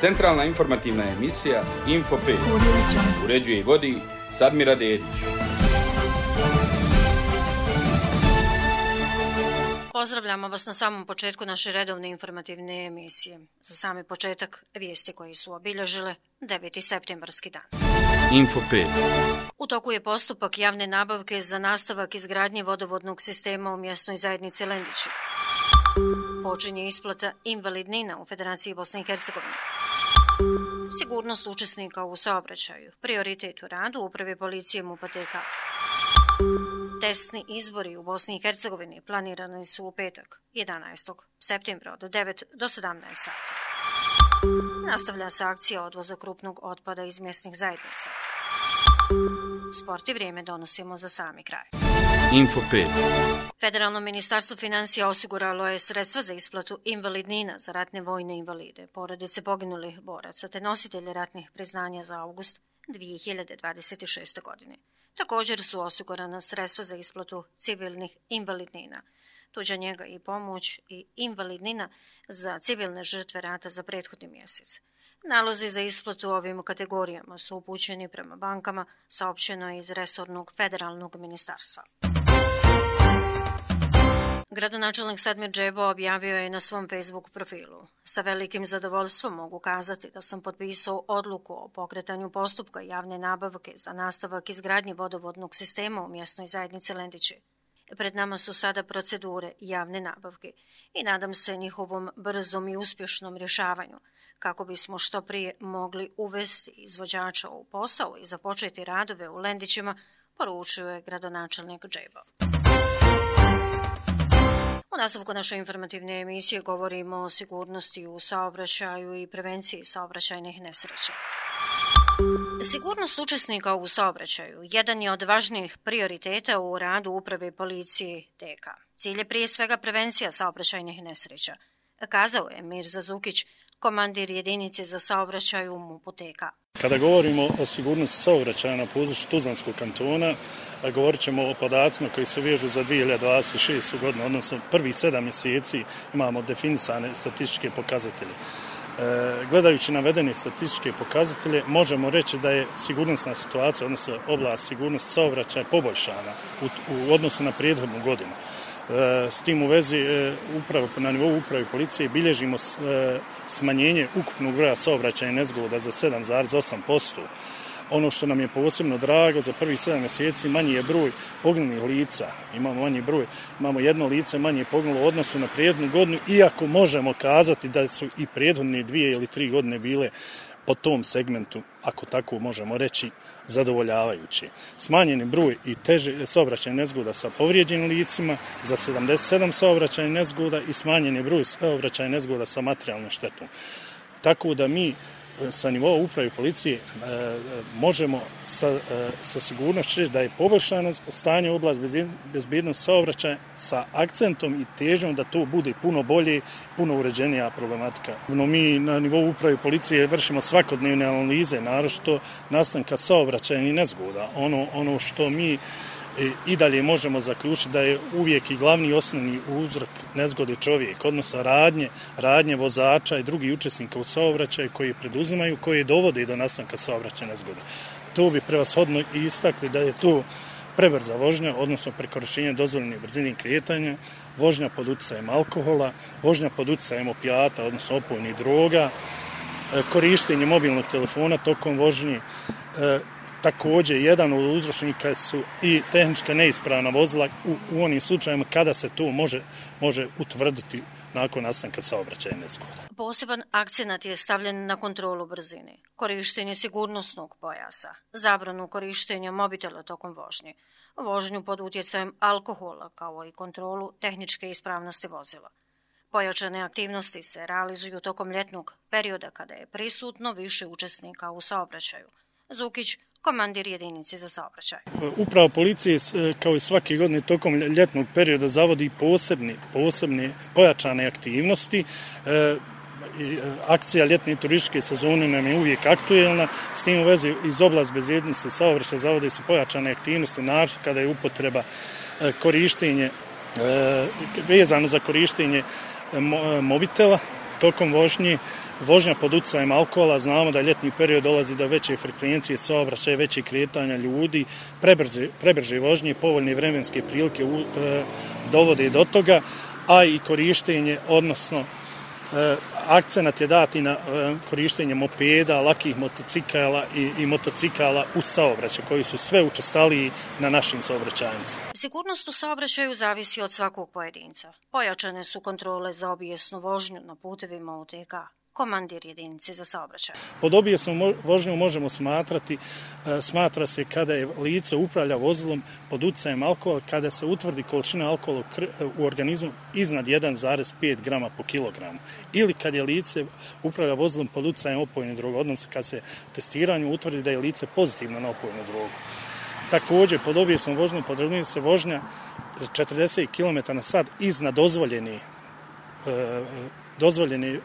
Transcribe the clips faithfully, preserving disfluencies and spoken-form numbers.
Centralna informativna emisija Info pet. Uređuje i vodi Sadmira Dedić. Pozdravljamo vas na samom početku naše redovne informativne emisije. Za sami početak vijesti koji su obilježile deveti septembarski dan. Info pet. U toku je postupak javne nabavke za nastavak izgradnje vodovodnog sistema u mjesnoj zajednici Lendići. Počinje isplata invalidnina u Federaciji Bosne i Hercegovine. Sigurnost učesnika u saobraćaju, prioritet u radu Uprave policije MUP-a T K. Testni izbori u Bosni i Hercegovini planirani su u petak, jedanaestog septembra od devet do sedamnaest sati. Nastavlja se akcija odvoza krupnog otpada iz mjesnih zajednica. Sport i vrijeme donosimo za sami kraj. Info pet. Federalno ministarstvo financija osiguralo je sredstva za isplatu invalidnina za ratne vojne invalide, porodice poginulih boraca te nositelje ratnih priznanja za avgust dvije hiljade dvadeset šeste. godine. Također su osigurana sredstva za isplatu civilnih invalidnina, tuđa njega i pomoć i invalidnina za civilne žrtve rata za prethodni mjesec. Nalozi za isplatu ovim kategorijama su upućeni prema bankama, saopćeno je iz resornog federalnog ministarstva. Gradonačelnik Sadmir Džebo objavio je na svom Facebook profilu: sa velikim zadovoljstvom mogu kazati da sam potpisao odluku o pokretanju postupka javne nabavke za nastavak izgradnje vodovodnog sistema u mjesnoj zajednici Lendići. Pred nama su sada procedure javne nabavke i nadam se njihovom brzom i uspješnom rješavanju kako bismo što prije mogli uvesti izvođača u posao i započeti radove u Lendićima, poručio je gradonačelnik Džebo. U nastavku naše informativne emisije govorimo o sigurnosti u saobraćaju i prevenciji saobraćajnih nesreća. Sigurnost učesnika u saobraćaju jedan je od važnijih prioriteta u radu Uprave policije T K. Cilj je prije svega prevencija saobraćajnih nesreća, kazao je Mirza Zukić, komandir jedinice za saobraćaj u MUP-u T K. Kada govorimo o sigurnosti saobraćaja na području Tuzlanskog kantona, govorit ćemo o podacima koji se vežu za dvije hiljade dvadeset šestu. godinu, odnosno prvih sedam mjeseci imamo definisane statističke pokazatelje. E, gledajući navedene statističke pokazatelje, možemo reći da je sigurnosna situacija, odnosno oblast sigurnosti saobraćaja poboljšana u, u odnosu na prethodnu godinu. S tim u vezi upravo na nivou uprave policije bilježimo smanjenje ukupnog broja saobraćajnih nezgoda za sedam zarez osam posto. Ono što nam je posebno drago, za prvih sedam mjeseci manji je broj poginulih lica. Imamo manji broj, imamo jedno lice manje poginulo u odnosu na prethodnu godinu, iako možemo kazati da su i prethodne dvije ili tri godine bile po tom segmentu, ako tako možemo reći, zadovoljavajući. Smanjeni broj i teže saobraćajnih nezgoda sa povrijeđenim licima za sedamdeset sedam saobraćajnih nezgoda i smanjeni broj saobraćajnih nezgoda sa materijalnom štetom. Tako da mi sa nivoa uprave policije e, možemo sa, e, sa sigurnošću reći da je poboljšano stanje u oblast bezbjednosti saobraćaja sa akcentom i težnjom da to bude puno bolje, puno uređenija problematika. No, mi na nivou uprave policije vršimo svakodnevne analize, naročito nastanka saobraćajnih nezgoda. Ono, ono što mi i dalje možemo zaključiti da je uvijek i glavni i osnovni uzrok nezgode čovjek, odnosno radnje, radnje vozača i drugih učesnika u saobraćaju koji preduzimaju, koji dovode do nastanka saobraćajne nezgode. To bi prevashodno i istakli da je to prebrza vožnja, odnosno prekoračenje dozvoljene brzine kretanja, vožnja pod utjecajem alkohola, vožnja pod utjecajem opijata, odnosno opojnih droga, korištenje mobilnog telefona tokom vožnje. Također, jedan od uzročnika su i tehnička neispravna vozila u, u onim slučajima kada se to može, može utvrditi nakon nastanka saobraćajne nezgode. Poseban akcenat je stavljen na kontrolu brzine, korištenje sigurnosnog pojasa, zabranu korištenja mobitela tokom vožnje, vožnju pod utjecajem alkohola kao i kontrolu tehničke ispravnosti vozila. Pojačane aktivnosti se realizuju tokom ljetnog perioda kada je prisutno više učesnika u saobraćaju. Zukić, komandir jedinice za saobraćaj. Uprava policije kao i svake godine tokom ljetnog perioda zavodi posebne, posebne pojačane aktivnosti. E, akcija ljetne turističke sezone nam je uvijek aktuelna. S tim u vezi iz oblasti bezbjednosti saobraćaja zavode se pojačane aktivnosti, naročito kada je upotreba e, korištenje, e, vezano za korištenje mobitela tokom vožnje, vožnja pod utjecajem alkohola, znamo da ljetni period dolazi do veće frekvencije saobraćaja, veće kretanja ljudi, prebrze, prebrže vožnje, povoljne vremenske prilike u, e, dovode do toga, a i korištenje, odnosno e, akcenat je dati na e, korištenje mopeda, lakih motocikala i, i motocikala u saobraćaju, koji su sve učestaliji na našim saobraćajnicama. Sigurnost u saobraćaju zavisi od svakog pojedinca. Pojačane su kontrole za obijesnu vožnju na putevima U T K. Komandir jedinice za saobraćaj. Pod obijesnom vožnjom možemo smatrati, smatra se kada je lice upravlja vozilom pod utjecajem alkohola, kada se utvrdi količina alkohola u organizmu iznad jedan zarez pet grama po kilogramu. Ili kad je lice upravlja vozilom pod utjecajem opojne droge, odnosno kad se testiranju utvrdi da je lice pozitivno na opojnu drogu. Također, pod obijesnom vožnjom podrazumijeva se vožnja četrdeset kilometara na sat iznad dozvoljeni e, Dozvoljeni,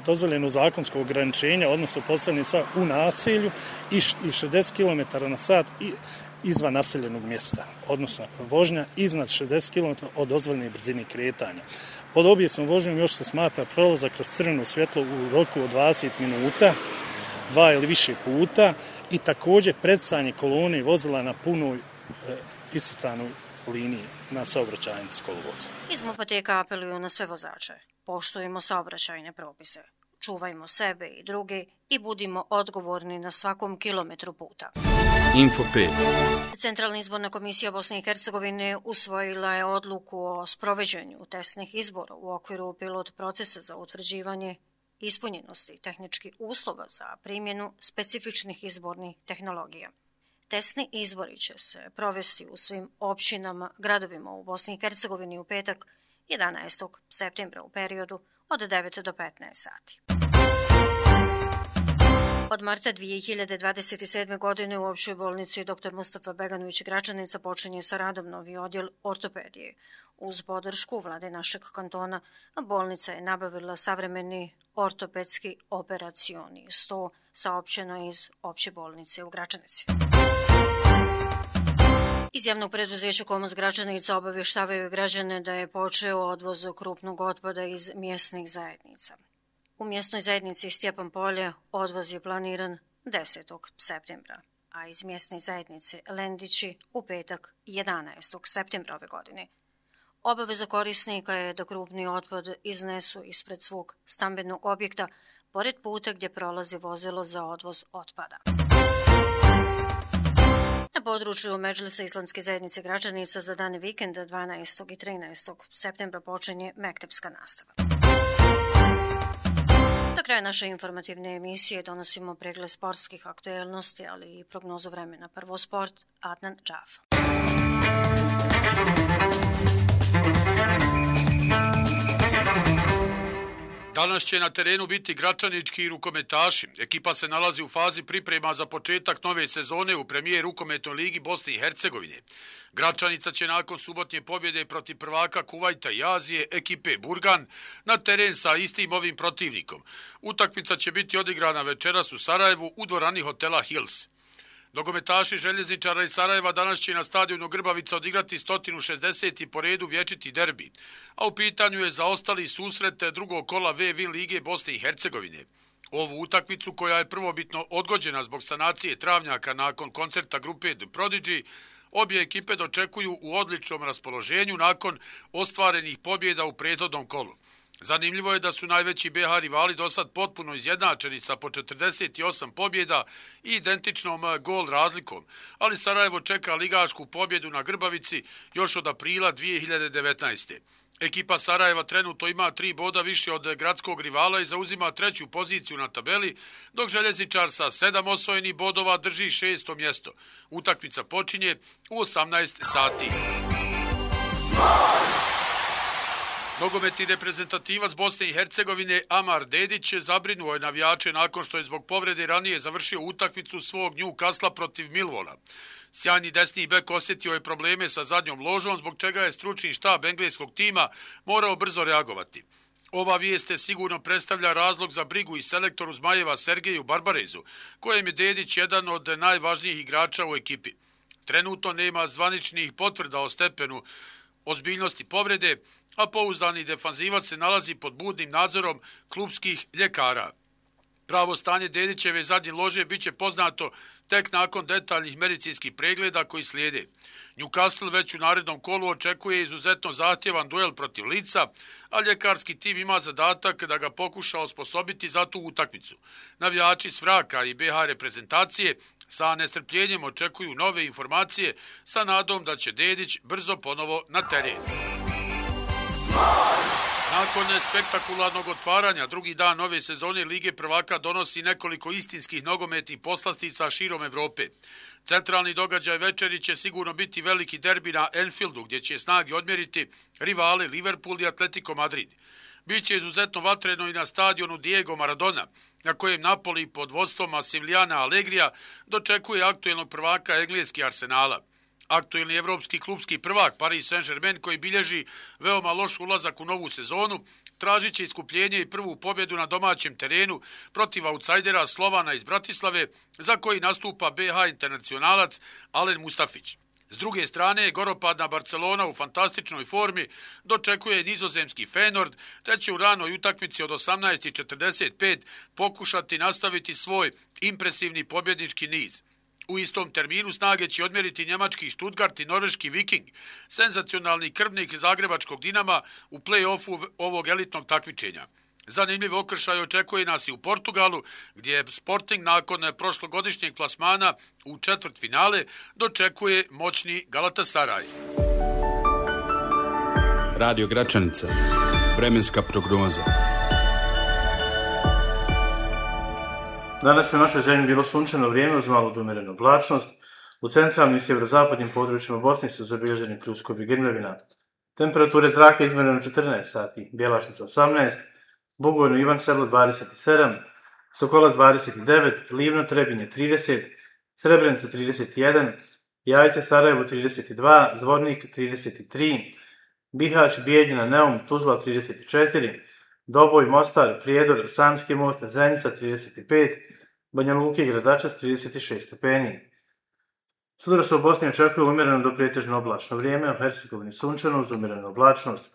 dozvoljeno zakonsko ograničenja, odnosno postavljeni sa u naselju i šezdeset kilometara na sat izvan naseljenog mjesta, odnosno vožnja iznad šezdeset kilometara od dozvoljene brzine kretanja. Pod obijesnom vožnjom još se smatra prolazak kroz crveno svjetlo u roku od dvadeset minuta, dva ili više puta i također predsjedanje kolone vozila na punoj e, iscrtanoj liniji na saobraćajnici kolovoza. Iz MUP-a T K apeluju na sve vozače. Poštujemo saobraćajne propise, čuvajmo sebe i druge i budimo odgovorni na svakom kilometru puta. Info pet. Centralna izborna komisija Bosne i Hercegovine usvojila je odluku o sprovođenju testnih izbora u okviru pilot procesa za utvrđivanje ispunjenosti tehničkih uslova za primjenu specifičnih izbornih tehnologija. Testni izbori će se provesti u svim općinama, gradovima u Bosni i Hercegovini u petak jedanaestog septembra u periodu od devet do petnaest sati. Od marta dvije hiljade dvadeset sedme. godine u općoj bolnici dr Mustafa Beganović Gračanica počinje sa radom novi odjel ortopedije. Uz podršku vlade našeg kantona, bolnica je nabavila savremeni ortopedski operacioni sto, saopćeno iz opće bolnice u Gračanici. Iz javnog preduzeća Komos Gračanica obavještavaju građane da je počeo odvoz krupnog otpada iz mjesnih zajednica. U mjesnoj zajednici Stjepan Polje odvoz je planiran desetog septembra, a iz mjesne zajednice Lendići u petak jedanaestog septembra ove godine. Obaveza korisnika je da krupni otpad iznesu ispred svog stambenog objekta, pored puta gdje prolazi vozilo za odvoz otpada. Na području Medžlisa Islamske zajednice Gračanica za dane vikenda dvanaestog i trinaestog septembra počinje mektepska nastava. Do kraja naše informativne emisije donosimo pregled sportskih aktuelnosti, ali i prognozu vremena. Prvo sport, Adnan Džaf. Danas će na terenu biti gračanički rukometaši. Ekipa se nalazi u fazi priprema za početak nove sezone u premijer rukometnoj ligi Bosne i Hercegovine. Gračanica će nakon subotnje pobjede protiv prvaka Kuvajta i Azije, ekipe Burgan, na teren sa istim ovim protivnikom. Utakmica će biti odigrana večeras u Sarajevu u dvorani hotela Hills. Nogometaši Željezničara iz Sarajeva danas će na stadionu Grbavica odigrati sto šezdeset. po redu vječiti derbi, a u pitanju je zaostali susret drugog kola V V lige Bosne i Hercegovine. Ovu utakmicu, koja je prvobitno odgođena zbog sanacije travnjaka nakon koncerta grupe The Prodigy, obje ekipe dočekuju u odličnom raspoloženju nakon ostvarenih pobjeda u prethodnom kolu. Zanimljivo je da su najveći B H rivali do sad potpuno izjednačeni sa po četrdeset osam pobjeda i identičnom gol razlikom, ali Sarajevo čeka ligašku pobjedu na Grbavici još od aprila dvije hiljade devetnaeste. Ekipa Sarajeva trenutno ima tri boda više od gradskog rivala i zauzima treću poziciju na tabeli, dok Željezničar sa sedam osvojenih bodova drži šesto mjesto. Utakmica počinje u osamnaest sati. Nogometni reprezentativac Bosne i Hercegovine Amar Dedić zabrinuo je navijače nakon što je zbog povrede ranije završio utakmicu svog Newcastle protiv Millwalla. Sjajni desni bek osjetio je probleme sa zadnjom ložom, zbog čega je stručni štab engleskog tima morao brzo reagovati. Ova vijest sigurno predstavlja razlog za brigu i selektoru Zmajeva Sergeju Barbarezu, kojem je Dedić jedan od najvažnijih igrača u ekipi. Trenutno nema zvaničnih potvrda o stepenu ozbiljnosti povrede, a pouzdani defanzivac se nalazi pod budnim nadzorom klubskih ljekara. Pravo stanje Dedićeve zadnje lože bit će poznato tek nakon detaljnih medicinskih pregleda koji slijede. Newcastle već u narednom kolu očekuje izuzetno zahtjevan duel protiv Leedsa, a ljekarski tim ima zadatak da ga pokuša osposobiti za tu utakmicu. Navijači s Vraka i B H reprezentacije sa nestrpljenjem očekuju nove informacije sa nadom da će Dedić brzo ponovo na teren. Nakon spektakularnog otvaranja, drugi dan nove sezone Lige prvaka donosi nekoliko istinskih nogometnih poslastica širom Evrope. Centralni događaj večeri će sigurno biti veliki derbi na Anfieldu, gdje će snage odmjeriti rivale Liverpool i Atletico Madrid. Biće izuzetno vatreno i na stadionu Diego Maradona, na kojem Napoli pod vodstvom Massimiliana Allegrija dočekuje aktuelnog prvaka engleski Arsenala. Aktuelni evropski klubski prvak Paris Saint-Germain, koji bilježi veoma loš ulazak u novu sezonu, tražit će iskupljenje i prvu pobjedu na domaćem terenu protiv autsajdera Slovana iz Bratislave, za koji nastupa B H internacionalac Alen Mustafić. S druge strane, goropadna Barcelona u fantastičnoj formi dočekuje nizozemski Feyenoord, te će u ranoj utakmici od osamnaest i četrdeset pet pokušati nastaviti svoj impresivni pobjednički niz. U istom terminu snage će odmjeriti njemački Stuttgart i norveški Viking, senzacionalni krvnik zagrebačkog Dinama u play-offu ovog elitnog takmičenja. Zanimljiv okršaj očekuje nas i u Portugalu, gdje je Sporting nakon prošlogodišnjeg plasmana u četvrt finale dočekuje moćni Galatasaray. Radio Gračanica. Vremenska prognoza. Danas je u našoj zemlji bilo sunčano vrijeme uz malo umjerenu oblačnost. U centralnim i sjeverozapadnim područjima Bosne su zabilježeni pljuskovi grmljavina. Temperature zraka izmjerene u četrnaest sati, Bjelašnica osamnaest, Bugojno Ivan Selo dvadeset sedam, Sokolac dvadeset devet, Livno Trebinje trideset, Srebrenica trideset jedan, Jajce Sarajevo trideset dva, Zvornik trideset tri, Bihać, Bijeljina, Neum, Tuzla trideset četiri, Doboj, Mostar, Prijedor, Sanski most, Zenica trideset pet, Banja Luka i Gradačac trideset šest stepeni. Sutra se u Bosni očekuje umjereno do pretežno oblačno vrijeme, u Hercegovini sunčano uz umjerenu oblačnost.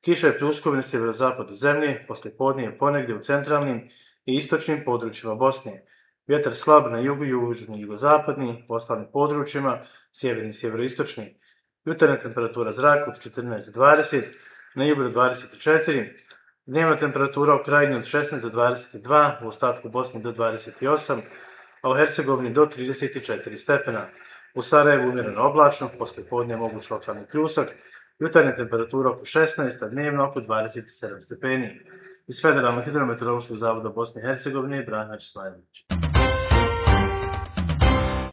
Kiša je pljuskovina na sjeverozapadu zemlje, poslije podnije ponegdje u centralnim i istočnim područjima Bosne. Vjetar slab na jugu, južni i jugozapadni, u ostalim područjima, sjeverni i sjeveroistočni. Jutarnja temperatura zraka od četrnaest do dvadeset, na jugu do dvadeset četiri, dnevna temperatura u krajini od šesnaest do dvadeset dva, u ostatku Bosne do dvadeset osam, a u Hercegovini do trideset četiri stepena. U Sarajevu umjereno oblačno, poslije podnije moguć lokalni pljusak, jutarnja temperatura oko šesnaest, a dnevno oko dvadeset sedam stepeni. Iz Federalnog hidrometeorološkog zavoda Bosne i Hercegovine, Branić Smajlović.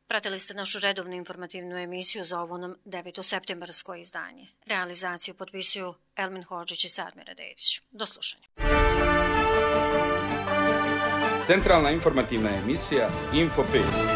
Pratili ste našu redovnu informativnu emisiju za ovo nam devetoseptembarsko izdanje. Realizaciju potpisuju Elmin Hodžić i Sadmira Dedić. Do slušanja. Centralna informativna emisija Info pet.